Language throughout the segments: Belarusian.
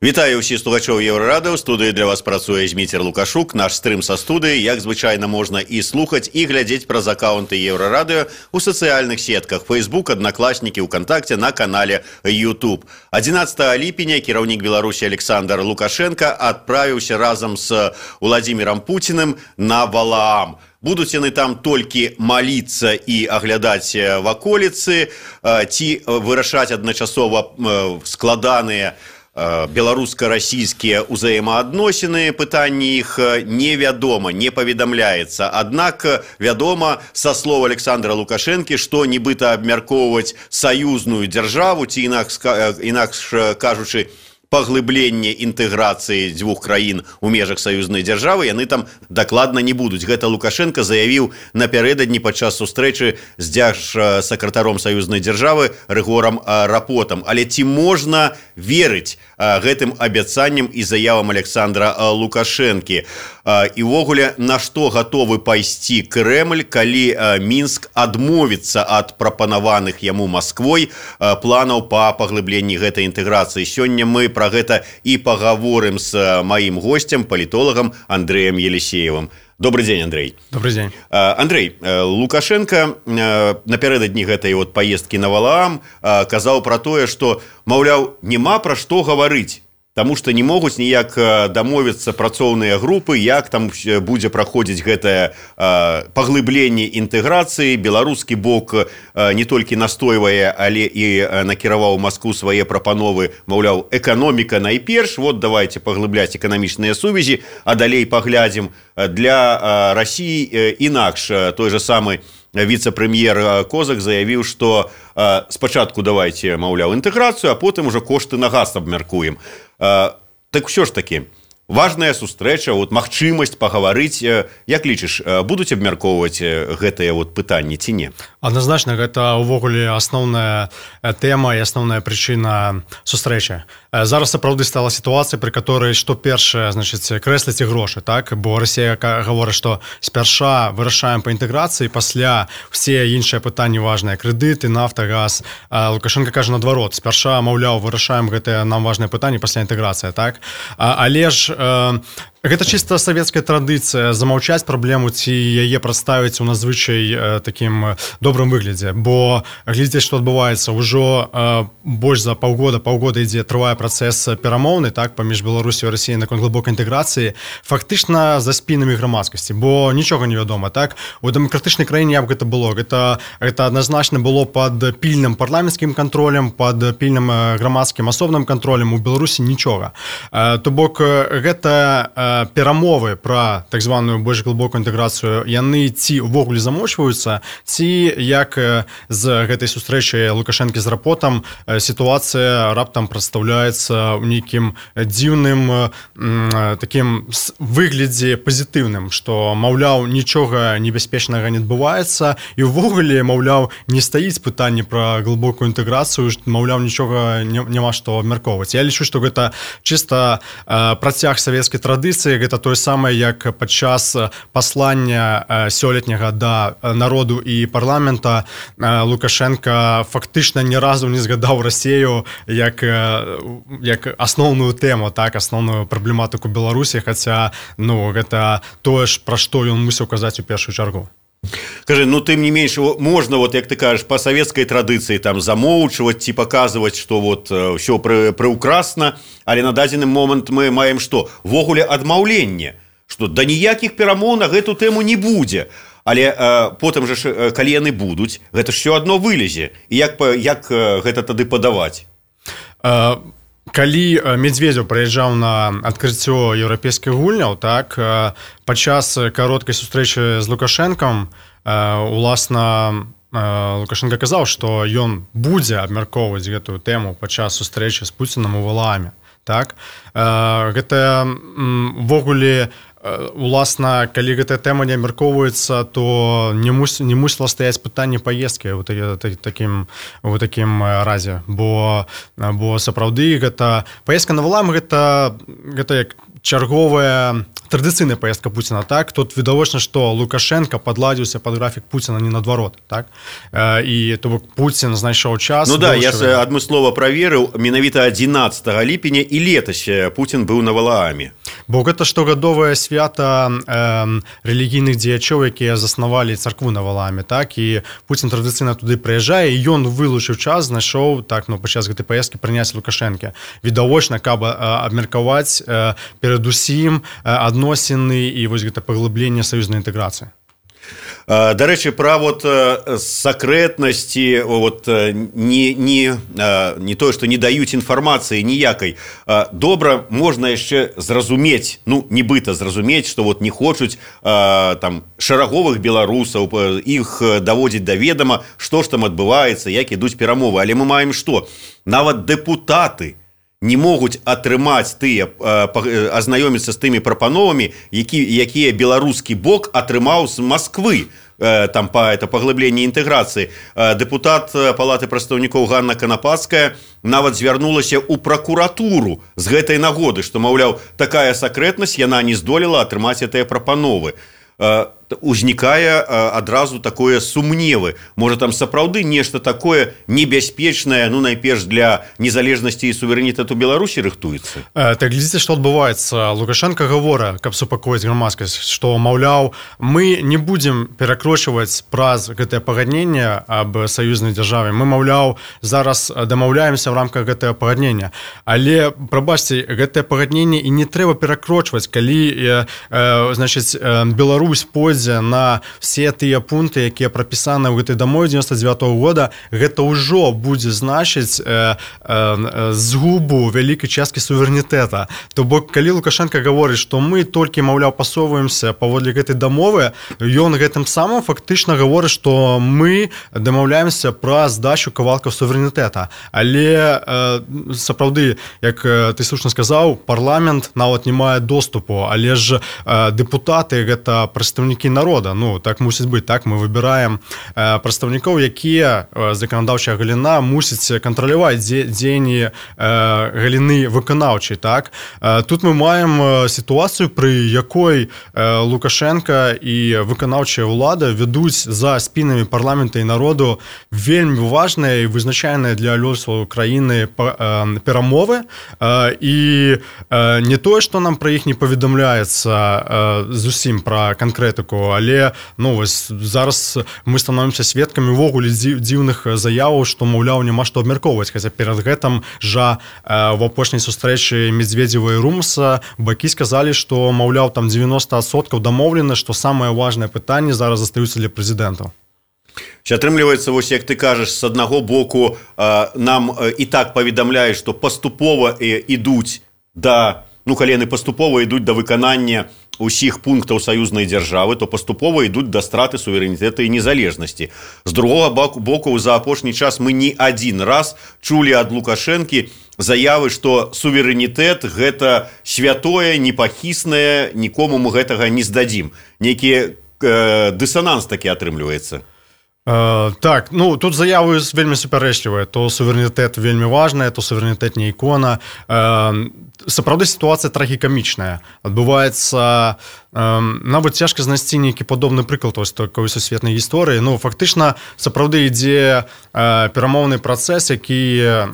Вітаю ўсіх слухачоў Еўрарадыо. У студыі для вас працуе Зміцер Лукашук. Наш стрым са студыі, як звычайна, можна і слухаць, і глядзець праз аккаунты Еўрарадыо у сацыяльных сетках Facebook, Аднакласнікі, УКонтакте, на канале YouTube. 11 ліпеня кіраўнік Беларусі Александр Лукашенко адправіўся разам з Владимиром Путиным на Валаам. Будуць яны там толькі маліцца і аглядаць ваколіцы, ці вырашаць адначасова складаныя беларуска-расійскія ўзаемаадносіны, пытанні іх невядома, не паведамляецца. Аднак вядома са слоў Александра Лукашэнкі, што нібыта абмяркоўваць саюзную дзяржаву, ці інакш кажучы, паглыбленне інтэграцыі дзвюх краін у межах саюзнай дзяржавы яны там дакладна не будуць. Гэта Лукашенко заявіў напярэдадні падчас сустрэчы з дзяржсакратаром саюзнай дзяржавы Рыгорам Рапотам. Але ці можна верыць гэтым абяцанням і заявам Александра Лукашэнкі? І ўвогуле, на што гатовы пайсці Крэмль, калі Мінск адмовіцца ад прапанаваных яму Масквой планаў па паглыбленні гэтай інтэграцыі? Сёння мы пра гэта і пагаворым з маім госцем, палітолагам Андрэем Елисеевым. Добрый день, Андрей. Добрый день. Андрей, Лукашенко напярэдадні гэтай паездкі на Валаам казаў пра тое, што, маўляў, няма пра што гаварыць, таму што не могуць ніяк дамовіцца працоўныя групы, як там будзе праходзіць гэтае паглыбленне інтэграцыі. Беларускі бок не толькі настойвае, але і накіраваў Маскву свае прапановы, маўляў, эканоміка найперш, вот давайте паглыбляць эканамічныя сувязі, а далей паглядзім. Для Расіі інакш. Той же самы віцэ-прэм'ер Козак заявіў, што спачатку давайте, маўляў, інтэграцыю, а потым уже кошты на газ абмяркуем. Так ўсё ж такі, важная сустрэча, магчымасць пагаварыць. Як лічыш, будуць абмяркоўваць гэтыя пытанні ці не? Адназначна, гэта ўвогуле асноўная тэма і асноўная прычына сустрэчы. Зараз сапраўды стала сітуацыя, пры которой што першае, крэсліць і грошы, так? Бо Расія гаворыць, што спярша вырашаем па інтэграцыі, пасля ўсе іншыя пытанні важныя, крэдыты, нафта, газ. Лукашенко кажа наадварот, спярша, маўляў, вырашаем гэтыя нам важныя пытанні, пасля інтэграцыя, так? Але ж гэта чыста савецкая традыцыя замаўчаць праблему ці яе прадставіць у надзвычай такім добрым выглядзе, бо глядзець, што адбываецца, ўжо больш за паўгода ідзе, трывае працэс перамоўны, так, паміж Беларусю і Расіяй наконт глыбокай інтэграцыі, фактычна за спінамі грамадскасці, бо нічога не вядома, так? У дэмакратычнай краіне як гэта было? Гэта адназначна было пад пільным парламенцкім кантролем, пад пільным грамадскім асобным кантролем. У Беларусі нічога. То бок гэта перамовы пра так званую больш глыбокую інтэграцыю, яны ці ўвогуле замочваюцца, ці як з гэтай сустрэчы Лукашэнкі з Рапотам сітуацыя раптам прадстаўляецца ў нейкім дзіўным такім выглядзе пазітыўным, што, маўляў, нічога небяспечнага не адбываецца і ўвогуле, маўляў, не стаіць пытанне пра глыбокую інтэграцыю, маўляў, нічога няма што абмяркоўваць. Я лічу, што гэта чыста працяг савецкай традыцыі, гэта тое самае, як падчас паслання сёлетняга да народу і парламента Лукашенко фактычна ні разу не згадаў Расію як асноўную тэму, так, асноўную праблематыку Беларусі, хаця, гэта тое ж, пра што ён мусіў казаць у першую чаргу. Кажи, тым не менш, можна, як ты кажаш, па савецкай традыцыі там замоўчваць ці паказваць, што ўсё прыўкрасна, але на дадзены момант мы маем што? Ввогуле адмаўленне, што да ніякіх перамоў на гэту тэму не будзе. Але потым жа, калі яны будуць, гэта ж ўсё адно вылезе. І як гэта тады падаваць? Калі Медведзеў прыязджаў на адкрыццё еўрапейскіх гульняў, так, падчас кароткай сустрэчы з Лукашэнкам, уласна, Лукашенко казаў, што ён будзе абмяркоўваць гэтую тэму падчас сустрэчы з Пуцінам у Валааме, так. Гэта ввогуле, уласна, калі гэтая тэма не абмяркоўваецца, то не мусіла стаяць пытанне паездкі ў такім разе, бо сапраўды гэта паездка на Валаам, гэта як чарговая традыцыйная паездка Пуціна, так? Тут відавочна, што Лукашенко падладзіўся пад графік Пуціна не наадварот, так? І то бок Пуцін знайшоў час... Ну да, я адмыслова праверыў, менавіта 11 ліпеня і летась Пуцін быў на Валааме. Бо гэта штогадовае свята рэлігійных дзеячоў, якія заснавалі царкву на Валааме, так? І Пуцін традыцыйна туды прыязджае, і ён вылучыў час, знайшоў, так, ну, падчас гэтай паездкі прыняць Лукашэнка. Відавочна, каб абмеркаваць перадусім адносіны і вось гэта паглыбленне саюзнай інтэграцыі. Дарэчы, пра вот сакрэтнасці, вот не тое, што не даюць інфармацыі ніякай. Добра можна яшчэ зразумець, ну, нібыта зразумець, што вот не хочуць там шараговых беларусаў, іх даводзіць да ведама, што ж там адбываецца, як ідуць перамовы. Але мы маем што? Нават дэпутаты не могуць атрымаць тыя, азнаёміцца з тымі прапановамі, якія беларускі бок атрымаў з Масквы, там паглыбленне інтэграцыі. Дэпутат Палаты прадстаўнікоў Ганна Канапацкая нават звярнулася ў пракуратуру з гэтай нагоды, што, маўляў, такая сакрэтнасць, яна не здолела атрымаць гэтыя прапановы. Узнікае адразу такое сумневы. Можа, там сапраўды нешта такое небяспечнае, ну, найперш для незалежнасці і суверэнітэту Беларусі рыхтуецца? Так, глядзіце, што адбываецца. Лукашенко гаворыць, каб супакоіць грамадскасць, што, маўляў, мы не будзем перакрочваць праз гэтае пагадненне аб саюзнай дзяржаве. Мы, маўляў, зараз дамаўляемся ў рамках гэтага пагаднення. Але, прабачце, гэтае пагадненне і не трэба перакрочваць, калі, значыць, Беларусь пойдзе на все тыя пункты, якія прапісаны ў гэтай дамове 99-го года, гэта ўжо будзе значыць згубу вялікай часткі суверэнітэта. То бок, калі Лукашенко гаворыць, што мы толькі, маўляў, пасоўваемся паводле гэтай дамовы, ён гэтым самым фактычна гаворыць, што мы дамаўляемся пра здачу кавалкаў суверэнітэта. Але сапраўды, як ты слушна сказаў, парламент нават не мае доступу, але ж дэпутаты гэта прадстаўнікі народа. Ну, так мусіць быць, так? Мы выбіраем прадстаўнікоў, якія заканадаўчая галіна мусіць кантраляваць дзеянні галіны выканаўчай, так? Тут мы маем сітуацыю, пры якой Лукашенко і выканаўчая ўлада ведуць за спінамі парламента і народу вельмі важныя і вызначальныя для лёсу краіны перамовы. І не тое, што нам пра іх не паведамляецца зусім пра канкрэтыку, але, ну, вось зараз мы становімся сведкамі ўвогуле дзіўных заяваў, што, маўляў, няма што абмяркоўваць. Хаця перад гэтым жа в апошняй сустрэчы Медведзева і Румса бакі сказалі, што, маўляў, там 90% дамоўлена, што самае важнае пытанне зараз застаюцца для прэзідэнтаў. Атрымліваецца, вось як ты кажаш, з аднаго боку нам і так паведамляюць, што паступова ідуць да, ну, калі яны паступова ідуць да выканання усіх пунктаў саюзнай дзяржавы, то паступова ідуць да страты суверэнітэта і незалежнасці. З другога боку, за апошні час мы не адзін раз чулі ад Лукашэнкі заявы, што суверэнітэт – гэта святое, непахіснае, нікому мы гэтага не здадзім. Нейкі дысананс такі атрымліваецца. Так, ну, тут заявы вельмі супярэчлівыя. То суверэнітэт вельмі важная, то суверэнітэт не ікона. Сапраўды сітуацыя трагікамічная. Адбываецца, нават цяжка знайсці нейкі падобны прыклад такой сусветнай гісторыі. Ну, фактычна, сапраўды ідзе перамоўны працэс, які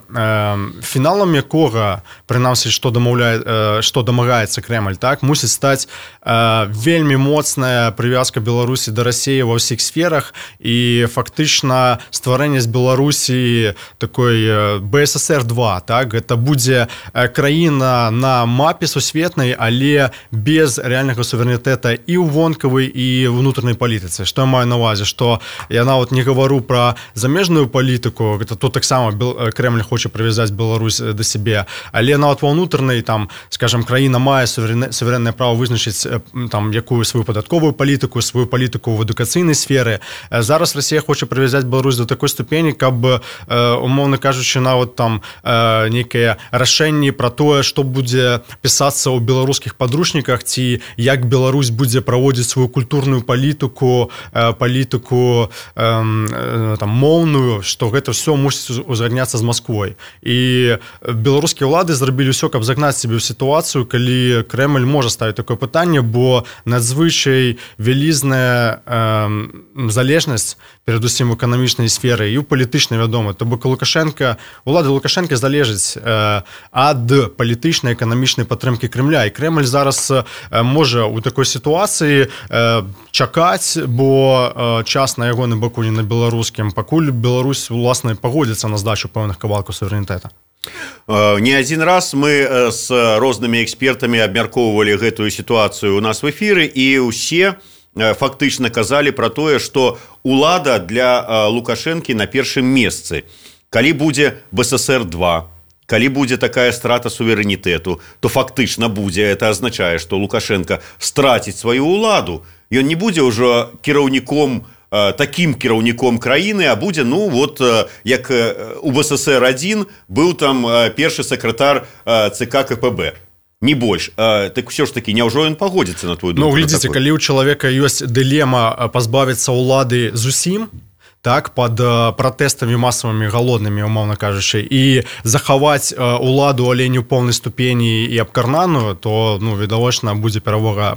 фіналам якога, прынамсі, што дамагаецца Крэмль, так, мусіць стаць вельмі моцная прывязка Беларусі да Расіі ва ўсіх сферах і фактычна стварэнне з Беларусі такой БССР-2, так, гэта будзе краіна на мапе сусветнай, але без рэальнага суверэнітэта і ў вонкавай, і ўнутранай палітыцы. Што я маю на ўвазе? Што я нават не гавару пра замежную палітыку, гэта тут таксама Крэмль хоча прывязаць Беларусь да сябе, але нават ва ўнутранай, там, скажам, краіна мае суверэннае права вызначыць там якую сваю падатковую палітыку, сваю палітыку ў адукацыйнай сферы. Зараз Расія хоча прывязаць Беларусь до такой ступені, каб, умоўна кажучы, нават там нейкае рашэнне пра тое, што будзе пісацца ў беларускіх падручніках, ці як Беларусь будзе праводзіць сваю культурную палітыку там моўную, што гэта ўсё мусіць узгадняцца з Масквой. І беларускія ўлады зрабілі ўсё, каб загнаць сябе ў сітуацыю, калі Крэмль можа ставіць такое пытанне, бо надзвычай вялізная залежнасць перадусім у эканамічнай сферы і ў палітычнай, вядома. То бок улады Лукашэнкі залежаць ад палітычнай эканамічнай падтрымкі Крэмля. І Крэмль зараз можа ў такой сітуацыі чакаць, бо час на ягоным баку, не на беларускім, пакуль Беларусь уласна пагодзіцца на здачу пэўных кавалкаў суверэнітэта. Не один раз мы с рознымі экспертамі абмяркоўвалі гэтую сітуацыю у нас в эфіры, і ўсе фактычна казалі пра тое, што улада для Лукашэнкі на першым месцы. Калі будзе БССР-2, калі будзе такая страта суверэнітэту, то фактычна будзе, это азначае, што Лукашенко страціць сваю ўладу. Ён не будзе ўжо такім кіраўніком краіны, а будзе, як у БССР-1 быў там першы сакратар ЦК КПБ. Не больш. Так ўсё ж такі, няўжо ён пагодзіцца на твою думку? Глядзіце, калі ў чалавека ёсць дылема пазбавіцца ўлады зусім, так, под пратэстамі масавымі галоднымі, умоўна кажучы, і захаваць уладу, але не ў поўнай ступені і абкарнаную, то, відавочна, будзе перавага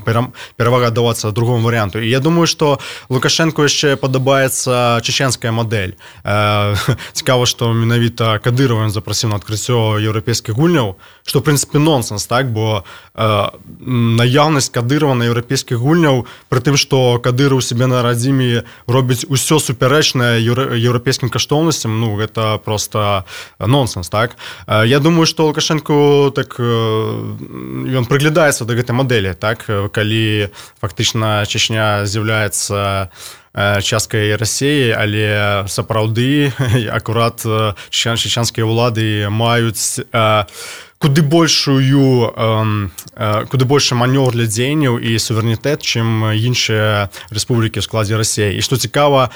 давацца другому варыянту. І я думаю, што Лукашэнку яшчэ падабаецца чеченская мадэль. Цікава, што менавіта Кадырова ён запрасіў на адкрыццё еўрапейскіх гульняў, што, в прынцыпе, нонсенс, так, бо наяўнасць Кадырова на еўрапейскіх гульняў, пры тым, што Кадыров у себе на радзіме робіць усё суперэчна еўрапейскім каштоўнасцям, гэта просто нонсенс, так? Я думаю, што Лукашэнку ён прыглядаецца да гэтай мадэлі, так? Калі фактычна Чечня з'яўляецца часткай Расіі, але сапраўды акурат чеченскія ўлады маюць куды большы манёвр для дзеянняў і суверэнітэт, чым іншыя рэспублікі ў складзе Расіі. І што цікава,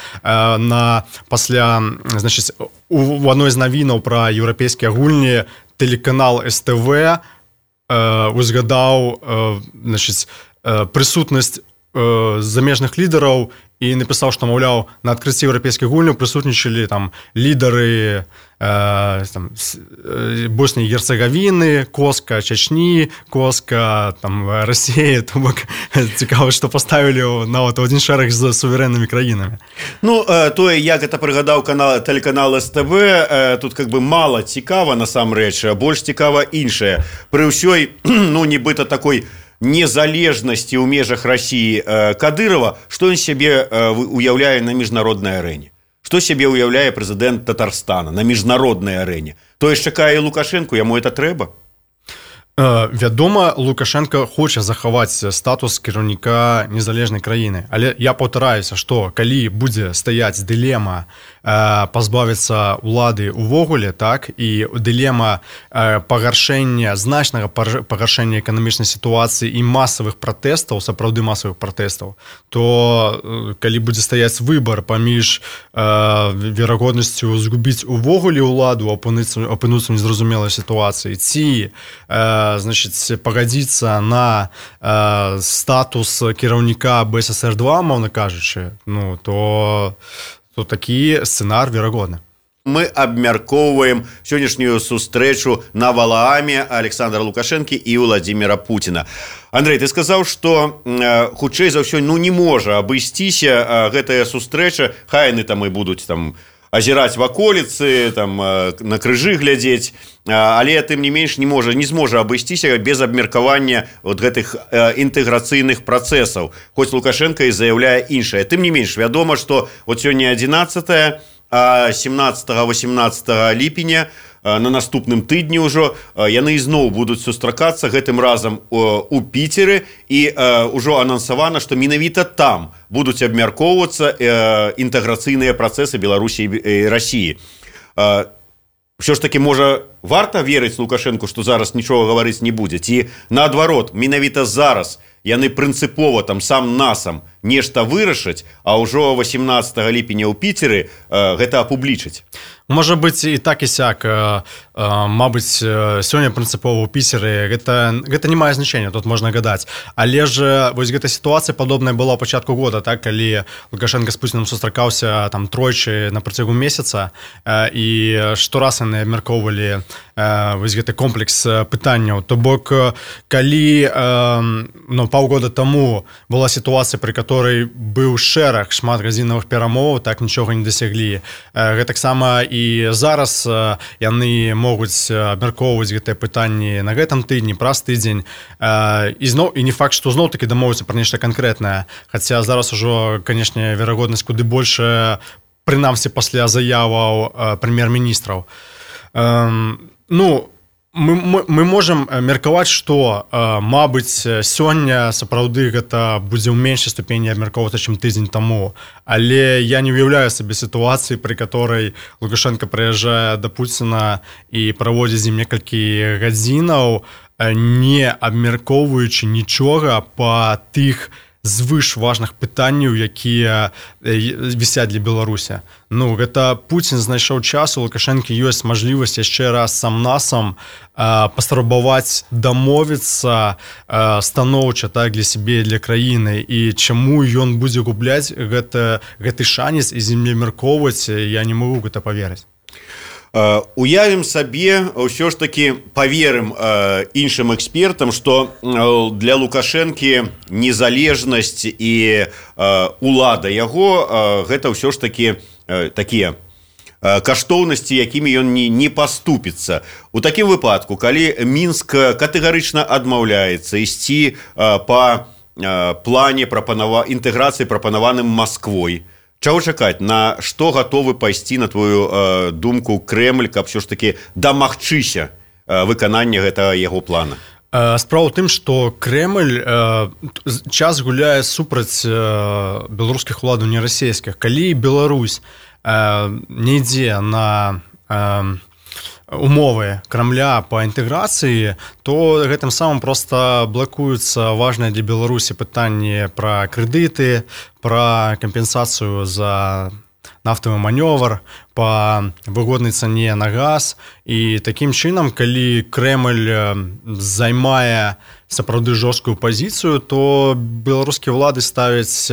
у адной з навінаў пра еўрапейскія гульні тэлеканал СТВ узгадаў прысутнасць замежных лідараў і напісаў, што, маўляў, на адкрыцці еўрапейскіх гульняў прысутнічалі там лідары Боснії і Герцеговіны, Коска Чечні, Коска Расіі. То бок цікава, што паставілі нават адзін шэраг з суверэннымі краінамі. Тое, як гэта прыгадаў тэлеканал СТВ, тут мала цікава насамрэч, больш цікава іншае. Пры ўсёй, нібыта такой незалежнасці ў межах Расіі Кадырова, што ён сябе уяўляе на міжнароднай арэне? Што сябе уяўляе прэзідэнт Татарстана на міжнароднай арэне? Тое ж чакае Лукашэнку, яму это трэба? Вядома, Лукашенко хоча захаваць статус кіраўніка незалежнай краіны. Але я паўтараюся, што калі будзе стаяць дылема пазбавіцца ўлады ўвогуле, так, і дылема значнага пагаршэння эканамічнай сітуацыі і масавых пратэстаў, сапраўды масавых пратэстаў, то калі будзе стаяць выбар паміж верагоднасцю згубіць увогуле ўладу, апынуцца ў незразумелай сітуацыі, ці пагадзіцца на статус кіраўніка БССР-2, мовна кажучы, то такі сцэнар верагодны. Мы абмяркоўваем сённяшнюю сустрэчу на Валааме Александра Лукашэнкі і Владзіміра Пуціна. Андрэй, ты сказаў, што хутчэй за ўсё не можа абысціся гэтая сустрэча, хай яны там і будуць азіраць ваколіцы, на крыжы глядзець, але тым не менш не зможа абысціся без абмеркавання гэтых інтэграцыйных працэсаў. Хоць Лукашенко і заяўляе іншае. Тым не менш, вядома, што сёння 11, а 17-18 ліпеня на наступным тыдні ўжо яны ізноў будуць сустракацца, гэтым разам у Піцеры, і ўжо анансавана, што менавіта там будуць абмяркоўвацца інтэграцыйныя працэсы Беларусі і Расіі. Ўсё ж такі, можа, варта верыць Лукашэнку, што зараз нічога гаварыць не будзе? Ці наадварот, менавіта зараз яны прынцыпова сам-насам нешта вырашаць, а ўжо 18 ліпеня ў Піцеры гэта апублічаць? Можа быць і так і сяк. мабыць, сёння прынцыпова ў Піцеры гэта не мае значэння, тут можна гадаць. Але ж вось гэта сітуацыя падобная была ў пачатку года, так, калі Лукашенко з Пуцінам сустракаўся там тройчы на працягу месяца, і штораз яны абмяркоўвалі вось гэты комплекс пытанняў. То бок, калі паўгода таму была сітуацыя, пры которой быў шэраг шмат гадзінавых перамоваў, так нічога не дасяглі. Гэтаксама і зараз яны могуць абмяркоўваць гэтыя пытанні на гэтым тыдні, праз тыдзень. І не факт, што зноў-такі дамовіцца пра нешта канкрэтнае. Хаця зараз ужо, канешне, верагоднасць куды большая, прынамсі пасля заяваў прэм'ер-міністраў. Мы можам меркаваць, што, мабыць, сёння сапраўды гэта будзе ў меншай ступені абмяркоўвацца, чым тыдзень таму. Але я не уяўляю сабе сітуацыі, пры которой Лукашенко прыязджае да Пуціна і праводзіць з ім некалькі гадзінаў, не абмяркоўваючы нічога па тых звыш важных пытанняў, якія вісяць для Беларусі. Гэта Пуцін знайшоў час, у Лукашэнкі ёсць мажлівасць яшчэ раз сам-насам паспрабаваць дамовіцца станоўча, так, для сябе, для краіны. І чаму ён будзе губляць гэты шанец і з ім абмяркоўваць, я не магу гэта паверыць. Уявім сабе, ўсё ж такі паверым іншым экспертам, што для Лукашэнкі незалежнасць і улада яго гэта ўсё ж такі такія каштоўнасці, якімі ён не паступіцца. У такім выпадку, калі Мінск катэгарычна адмаўляецца ісці па плане інтэграцыі, прапанаваным Масквой, чаго чакаць? На што гатовы пайсці, на твою думку, Крэмль, каб ўсё ж такі дамагчыся выканання гэтага яго плана? Справа ў тым, што Крэмль час гуляе супраць беларускіх уладаў, не расійскіх. Калі Беларусь не ідзе на умовы Крамля па інтэграцыі, то гэтым самым проста блакуюцца важныя для Беларусі пытанні пра крэдыты, пра кампенсацыю за нафтавы манёвр, па выгоднай цане на газ. І такім чынам, калі Крэмль займае сапраўды жорсткую пазіцыю, то беларускія ўлады ставяць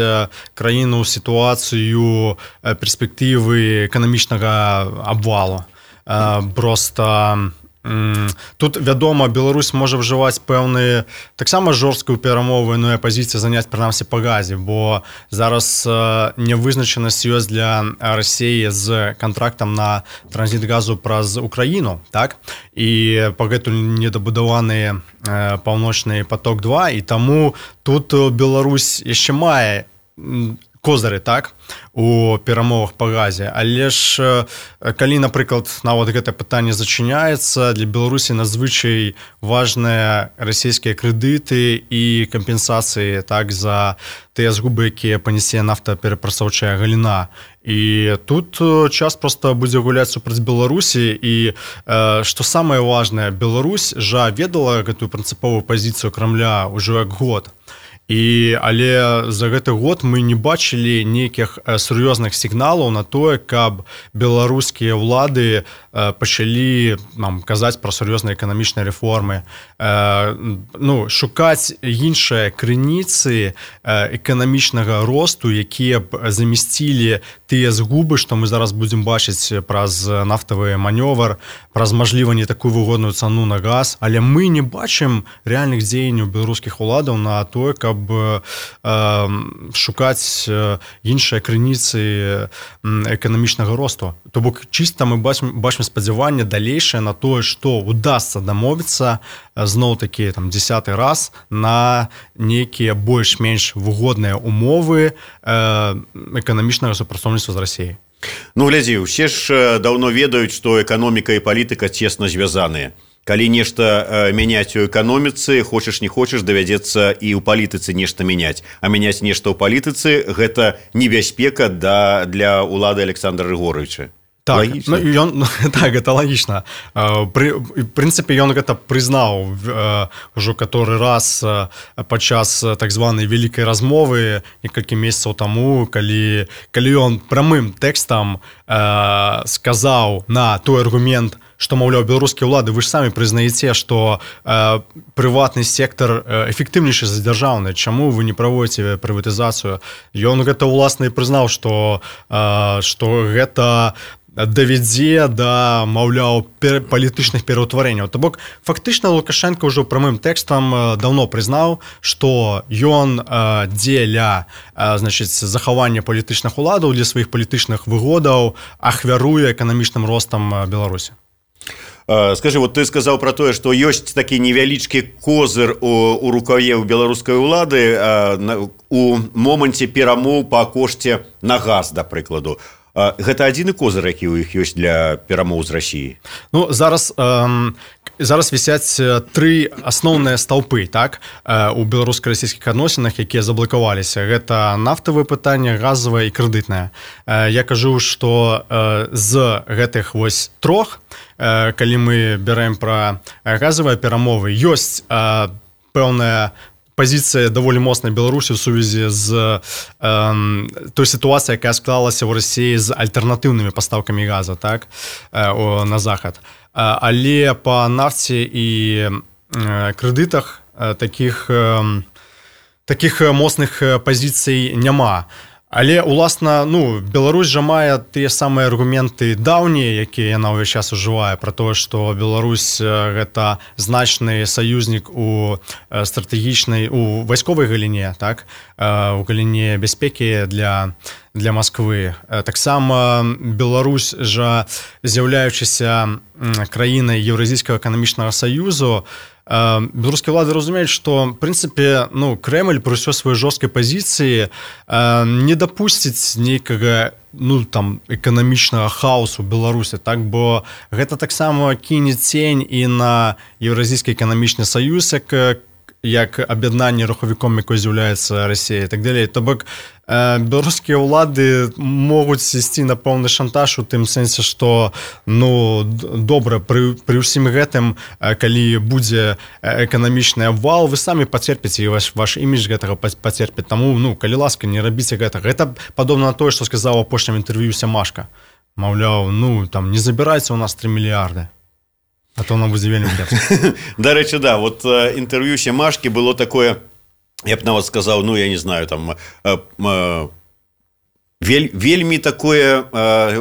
краіну ў сітуацыю перспектывы эканамічнага абвалу. Просто тут, вядома, Беларусь можа ўжываць пэўныя таксама жорсткую перамовную пазіцыю заняць прынамсі па газе, бо зараз нявызначанасць ёсць для Расіі з кантрактам на транзіт газу праз Украіну, так? І пагэтуль недабудаваны паўночны поток-2, і таму тут Беларусь яшчэ мае козыры, так, у перамовах па газе. Але ж, калі, напрыклад, нават гэта пытанне зачыняецца, для Беларусі надзвычай важныя расійскія крэдыты і кампенсацыі, так, за тыя згубы, якія панясе нафтаперапрацоўчая галіна. І тут час проста будзе гуляць супраць Беларусі. І, што самае важнае, Беларусь жа ведала гэтую прынцыповую пазіцыю Крамля ўжо як год. Але за гэты год мы не бачылі нейкіх сур'ёзных сігналаў на тое, каб беларускія ўлады пачалі казаць пра сур'ёзныя эканамічныя рэформы, шукаць іншыя крыніцы эканамічнага росту, якія б замясцілі тыя згубы, што мы зараз будзем бачыць праз нафтавы манёвр, праз, мажліва, не такую выгодную цану на газ. Але мы не бачым рэальных дзеянняў беларускіх уладаў на тое, каб шукаць іншыя крыніцы эканамічнага росту. То бок чыста мы бачым спадзяванне далейшае на тое, што удасца дамовіцца зноў-такі 10-й раз на нейкія больш-менш выгодныя умовы эканамічнага супрацоўніцтва з Расіяй. Глядзі, усе ж даўно ведаюць, што эканоміка і палітыка цесна звязаныя. Калі нешта мяняць у эканоміцы, хочаш не хочаш, давядзецца і ў палітыцы нешта мяняць. А мяняць нешта ў палітыцы – гэта небяспека для ўлады Александра Григоровича. Так, Лагічна? ну, ён, так, гэта лагічна. В прынцыпе, ён гэта прызнаў ўжо каторы раз падчас так званай вялікай размовы некалькі месяцаў таму, калі ён прамым тэкстам сказаў на той аргумент, што, маўляў, беларускія ўлады, вы ж самі прызнаеце, што прыватны сектар эфектыўнейшы за дзяржаўны. Чаму вы не праводзіце прыватызацыю? Ён гэта ўласна і прызнаў, што гэта давядзе да, маўляў, палітычных пераўтварэнняў. То бок, фактычна Лукашенко ўжо прамым тэкстам даўно прызнаў, што ён дзеля, значыць, захавання палітычных уладаў для сваіх палітычных выгодаў ахвяруе эканамічным ростам Беларусі. Скажи, вот ты сказаў пра тое, што ёсць такі невялічкі козыр у рукаве ў беларускай улады у моманце перамоў па кошце на газ, да прыкладу. Гэта адзіны козыр, які ў іх ёсць для перамоў з Расіяй? Ну, зараз вісяць тры асноўныя стаўпы, так, у беларуска-расійскіх адносінах, якія заблакаваліся. Гэта нафтавае пытанне, газавае і крэдытнае. Я кажу, што з гэтых вось трох, калі мы бярэм пра газавыя перамовы, ёсць пэўная пазіцыя даволі моцнай Беларусі ў сувязі з той сітуацыяй, якая склалася ў Расіі з альтэрнатыўнымі пастаўкамі газа, так, на захад. Але па нафце і крэдытах такіх моцных пазіцый няма. Але, уласна, ну, Беларусь жа мае тыя самыя аргументы даўнія, якія яна ўвесь час ужывае, пра тое, што Беларусь гэта значны саюзнік у стратэгічнай, у вайсковай галіне, так, у галіне бяспекі для Масквы. Таксама Беларусь жа, з'яўляючыся краінай Еўразійскага эканамічнага саюзу, беларускія ўлады разумеюць, што, в прынцыпе, ну, Крэмль пры ўсёй сваёй жорсткай пазіцыі не дапусціць нейкага, ну, там, эканамічнага хаосу ў Беларусі, так, бо гэта таксама кіне цень і на Еўразійскі эканамічны саюз, як аб'яднанне рухавіком, якое з'яўляецца Расія і так далей. То бок, беларускія ўлады могуць ісці на пэўны шантаж у тым сэнсе, што, ну, добра, пры ўсім гэтым, калі будзе эканамічны абвал, вы самі пацерпіце, і ваш імідж гэтага пацерпіць. Таму, ну, калі ласка, не рабіце гэтага. Гэта падобна на тое, што сказаў у апошнім інтэрв'ю Сямашка. Маўляў, ну, там, не забірайце ў нас 3 мільярды. А то нам будзе вельмі кепска. Дарэчы, да, вот інтэрв'ю Сямашкі было такое, я б нават сказаў, ну, я не знаю, там, вельмі такое,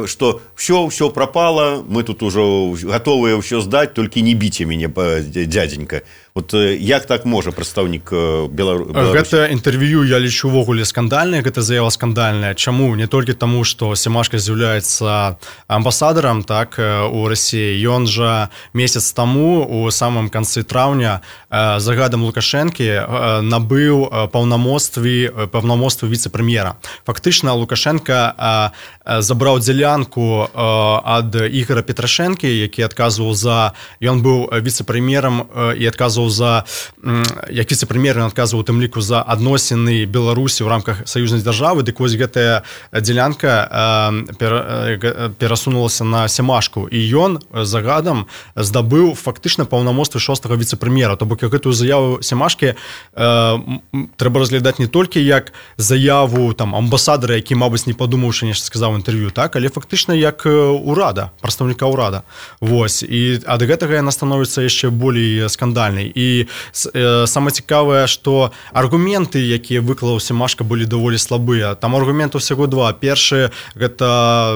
што все пропало, мы тут ужо гатовыя ўсё здаць, толькі не біце мяне, дядзенька. Вот як так можа прадстаўнік Беларусі? Гэта інтэрв'ю я лічу ўвогуле скандальнае, гэта заява скандальная. Чаму? Не толькі таму, што Сямашка з'яўляецца амбасадарам, так, у Расіі. Ён жа месяц таму, у самым канцы траўня, загадам Лукашэнкі набыў паўнамоцтвы віцэ-прэм'ера. Фактычна Лукашенко забраў дзялянку ад Ігора Петрашэнкі, які адказваў за... Ён быў віцэ-прэм'ерам і адказваў як віцэ-прэм'ер, ён адказваў у тым ліку за адносіны Беларусі ў рамках саюзнай дзяржавы, дык вось гэтая дзялянка перасунулася на Сямашку, і ён загадам здабыў фактычна паўнамоцтвы 6-го віцэ-прэм'ера. То бок гэтую заяву Сямашкі трэба разглядаць не толькі як заяву там амбасадара, які, мабыць, не падумаўшы, нешта сказаў інтэрв'ю, так, але фактычна як урада, прадстаўніка ўрада. Вось, і ад гэтага яна становіцца яшчэ болей скандальнай. І самае цікавае, што аргументы, якія выклаў Сямашка, былі даволі слабыя. Там аргументаў усяго два. Першы, гэта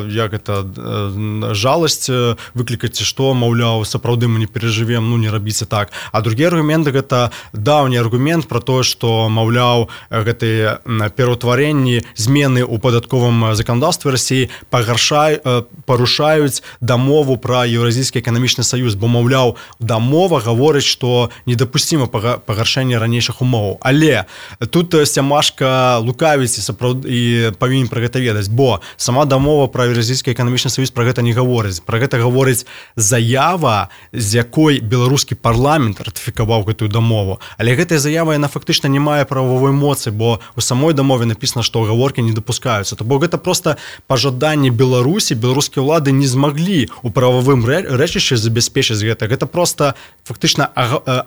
жаласць выклікаць, што, маўляў, сапраўды мы не перажывем, ну, не рабіце так. А другі аргумент, гэта даўні аргумент пра тое, што, маўляў, гэтыя пераўтварэнні, змены ў падатковым заканадаўстве Расіі парушаюць дамову пра Еўразійскі эканамічны саюз, бо, маўляў, дамова гаворыць, што недапусціма пагаршэнне ранейшых умоваў. Але тут Сямашка лукавіць і павінен пра гэта ведаць, бо сама дамова пра Еўразійскі эканамічны саюз пра гэта не гаворыць. Пра гэта гаворыць заява, з якой беларускі парламент ратыфікаваў гэтую дамову. Але гэтая заява, яна фактычна не мае правовой моцы, бо у самой дамове напісана, што гаворкі не дапускаюцца. То бок гэта проста пажаданне Беларусі, беларускія ўлады не змаглі ў прававым рэчышчы забяспечыць гэта. Гэта проста фактычна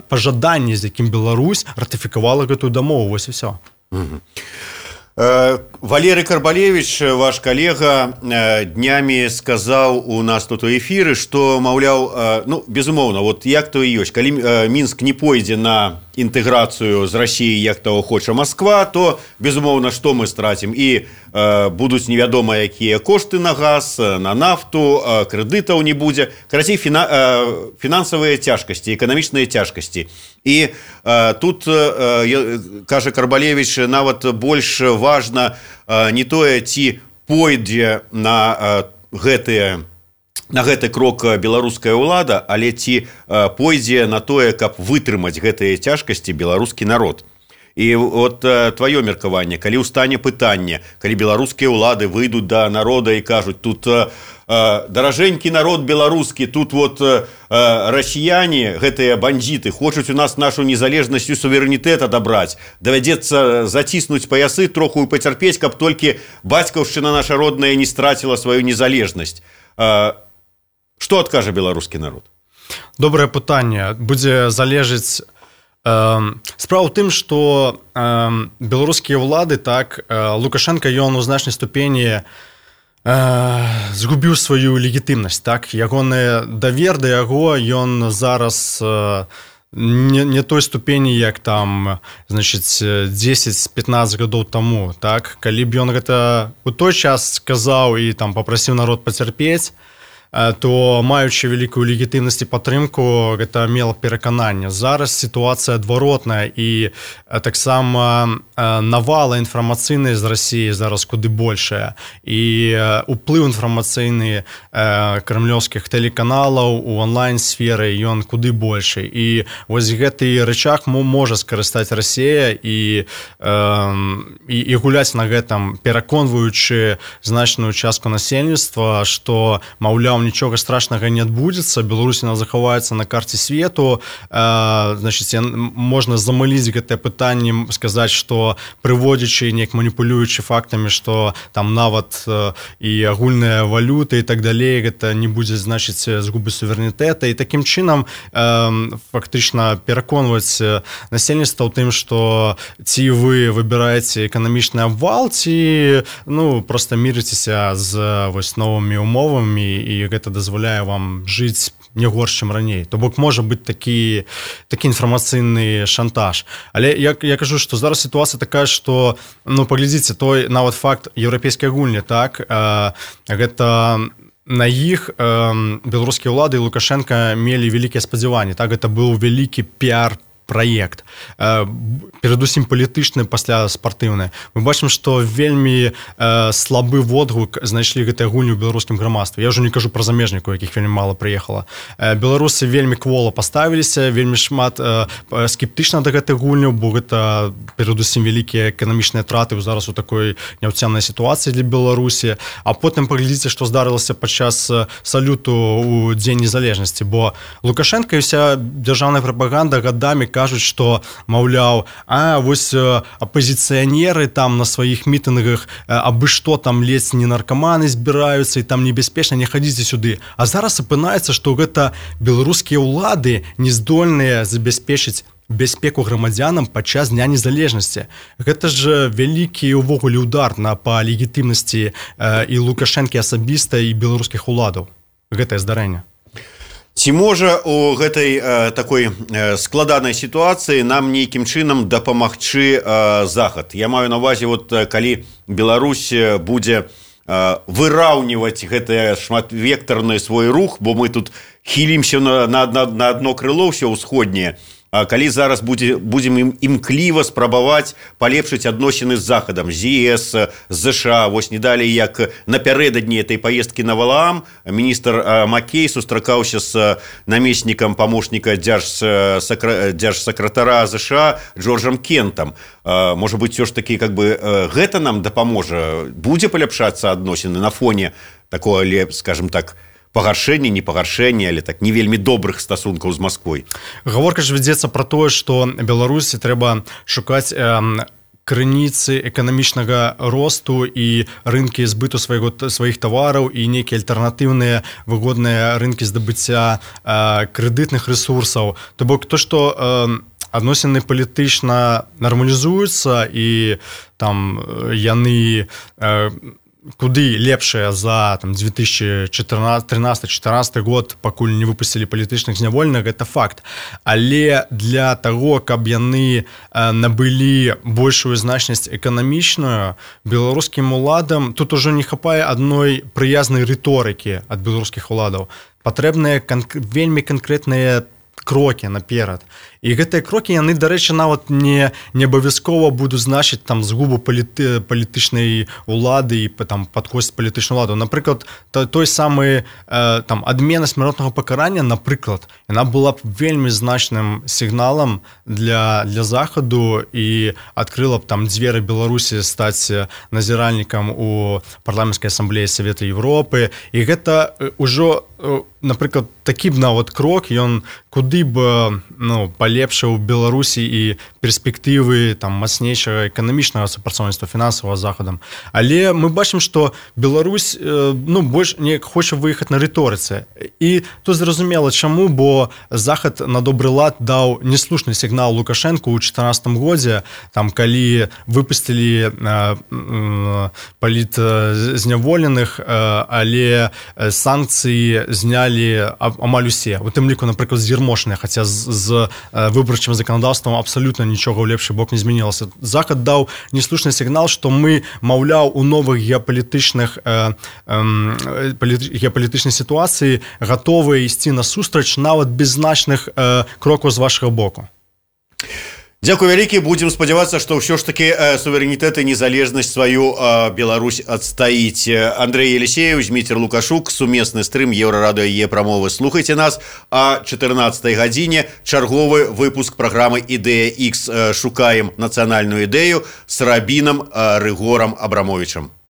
пажаданне, з якім Беларусь ратыфікавала гэтую дамову. Вось і ўсё. Валерий Карбалевич, ваш калега, днямі сказаў у нас тут у эфіры, што, маўляў, ну, безумоўна, вот як то і ёсць, калі Мінск не пойдзе на інтэграцыю з Расіяй, як того хоча Москва, то, безумоўна, што мы страцім? І будуць невядома якія кошты на газ, на нафту, крэдытаў не будзе. Карацей, фінансавыя цяжкасці, эканамічныя цяжкасці. І тут, кажа Карбалевич, нават больш важна не тое, ці пойдзе на гэты крок беларуская ўлада, але ці пойдзе на тое, каб вытрымаць гэтыя цяжкасці беларускі народ. І вот твоё меркаванне, калі ўстане пытанне, калі беларускія ўлады выйдуць да народа і кажуць, тут даражэнькі народ беларускі, тут вот расіяне, гэтыя бандзіты, хочуць у нас нашу незалежнасць і суверэнітэт адабраць, давядзецца заціснуць паясы, троху пацярпець, каб толькі бацькаўшчына наша родная не страціла сваю незалежнасць. Што адкажа беларускі народ? Добрае пытанне. Будзе залежыць. Справа ў тым, што беларускія ўлады, так, Лукашенко, ён у значнай ступені згубіў сваю легітымнасць, так, ягоны давер да яго, ён зараз не той ступені, як там, значыць, 10-15 гадоў таму, так, калі б ён гэта у той час сказаў і там папрасіў народ пацярпець, то, маючы вялікую легітымнасць і падтрымку, гэта мела перакананне. Зараз сітуацыя адваротная, і таксама навала інфармацыйная з Расіі зараз куды большая, і уплыў інфармацыйны крамлёўскіх тэлеканалаў у онлайн-сферы ён куды большы. І вось гэты рычаг можа скарыстаць Расія і гуляць на гэтым, пераконваючы значную частку насельніцтва, што, маўляў, нічога страшнага не адбудзецца, Беларусь захаваецца на карце свету, значыць, можна замыліць гэтае пытанне, сказаць, што прыводзячы, неяк маніпулюючы фактамі, што там нават і агульная валюта і так далей, гэта не будзе значыць згубы суверэнітэта, і такім чынам фактычна пераконваць насельніцтва ў тым, што ці вы выбіраеце эканамічны абвал, ці, ну, проста мірыцеся з вось новымі умовамі, і гэта дазваляе вам жыць не горш, чым раней. То бок можа быць такі інфармацыйны шантаж. Але я кажу, што зараз сітуацыя такая, што, ну, паглядзіце, той нават факт еўрапейскай гульні, так, гэта на іх беларускія ўлады і Лукашенко мелі вялікія спадзяванні, так, гэта быў вялікі піар-праект, перадусім палітычны, пасля спартыўны. Мы бачым, што вельмі слабы водгук знайшлі гэтыя гульні ў беларускім грамадстве. Я ўжо не кажу пра замежнікаў, якіх вельмі мала прыехала. Беларусы вельмі квола паставіліся, вельмі шмат скептычна да гэтых гульняў, бо гэта перадусім вялікія эканамічныя траты зараз у такой няўцямнай сітуацыі для Беларусі. А потым паглядзіце, што здарылася падчас салюту ў Дзень незалежнасці, бо Лукашенко і ўся дзяржаўная прапаганда гадамі кажуць, што, маўляў, вось апозіцыянеры там на сваіх мітынгах абы што там ледзь не наркаманы збіраюцца і там небяспечна, не хадзіце сюды. А зараз апынаецца, што гэта беларускія ўлады не здольныя забяспечыць бяспеку грамадзянам падчас Дня незалежнасці. Гэта ж вялікі ўвогуле удар па легітымнасці і Лукашэнкі асабіста і беларускіх уладаў. Гэтае здарэнне. Ці можа у гэтай такой складанай сітуацыі нам нейкім чынам дапамагчы Захад? Я маю на ўвазе, вот калі Беларусь будзе выраўніваць гэтае шматвектарны свой рух, бо мы тут хілімся на адно крыло ўсё ўсходняе, калі зараз будзем імкліва спрабаваць палепшыць адносіны з захадам, з ЕС, з ЗША. Вось не далей як напярэдадні этой поездкі на Валаам міністр Маккей сустракаўся з намеснікам памочніка дзяржсакратара ЗША Джорджам Кентам. Можа быць, все ж таки гэта нам дапаможа, будзе паляпшацца адносіны на фоне такого, скажем так, пагаршэння, не пагаршэння, але так не вельмі добрых стасункаў з Масквой. Гаворка ж вядзецца пра тое, што Беларусі трэба шукаць крыніцы эканамічнага росту і рынкі збыту сваіх тавараў і нейкія альтэрнатыўныя выгодныя рынкі здабыцця крэдытных рэсурсаў. То бок то, што адносіны палітычна нармалізуюцца і там яны куды лепшыя за 2013-2014 год, пакуль не выпусцілі палітычных зняволеных, гэта факт. Але для таго, каб яны набылі большую значнасць эканамічную, беларускім уладам тут ужо не хапае адной прыязнай рыторыкі ад беларускіх уладаў. Патрэбныя вельмі канкрэтныя крокі наперад. І гэтыя крокі, яны, дарэчы, нават не абавязкова будуць значыць там згубу палітычнай улады і там падкосць палітычную уладу. Напрыклад, той самы там адмена смяротнага пакарання, напрыклад, яна была б вельмі значным сігналам для захаду і адкрыла б там дзверы Беларусі стаць назіральнікам у парламенцкай асамблеі Савета Европы. І гэта ўжо, напрыклад, такі б нават крок, ён куды б палепшыў Беларусі і перспектывы там мацнейшага эканамічнага супрацоўніцтва фінансавага з захадам. Але мы бачым, што Беларусь больш не хоча выехаць на рыторыцы. І тут зразумела чаму, бо захад на добры лад даў неслушны сігнал Лукашэнку ў 2014 годзе, там калі выпусцілі палітзняволеных, але санкцыі знялі амаль усе. У тым ліку, напрыклад, з'ермошныя, хаця з выбарчым заканадаўствам абсалютна нічога ў лепшы бок не змянілася. Захад даў неслушны сігнал, што мы, маўляў, у новых геапалітычнай сітуацыі гатовыя ісці насустрач нават без значных крокаў з вашага боку. Дзякуй вялікі, будзем спадзявацца, што ўсё ж такі суверэнітэт і незалежнасць сваю Беларусь адстаіць. Андрэй Елісееў, Зміцер Лукашук, сумесны стрым Еўрарадыё Е-прамовы. Слухайце нас о 14 гадзіне. Чарговы выпуск праграмы «Ідэя X». Шукаем нацыянальную ідэю з рабінам Рыгорам Абрамовічам.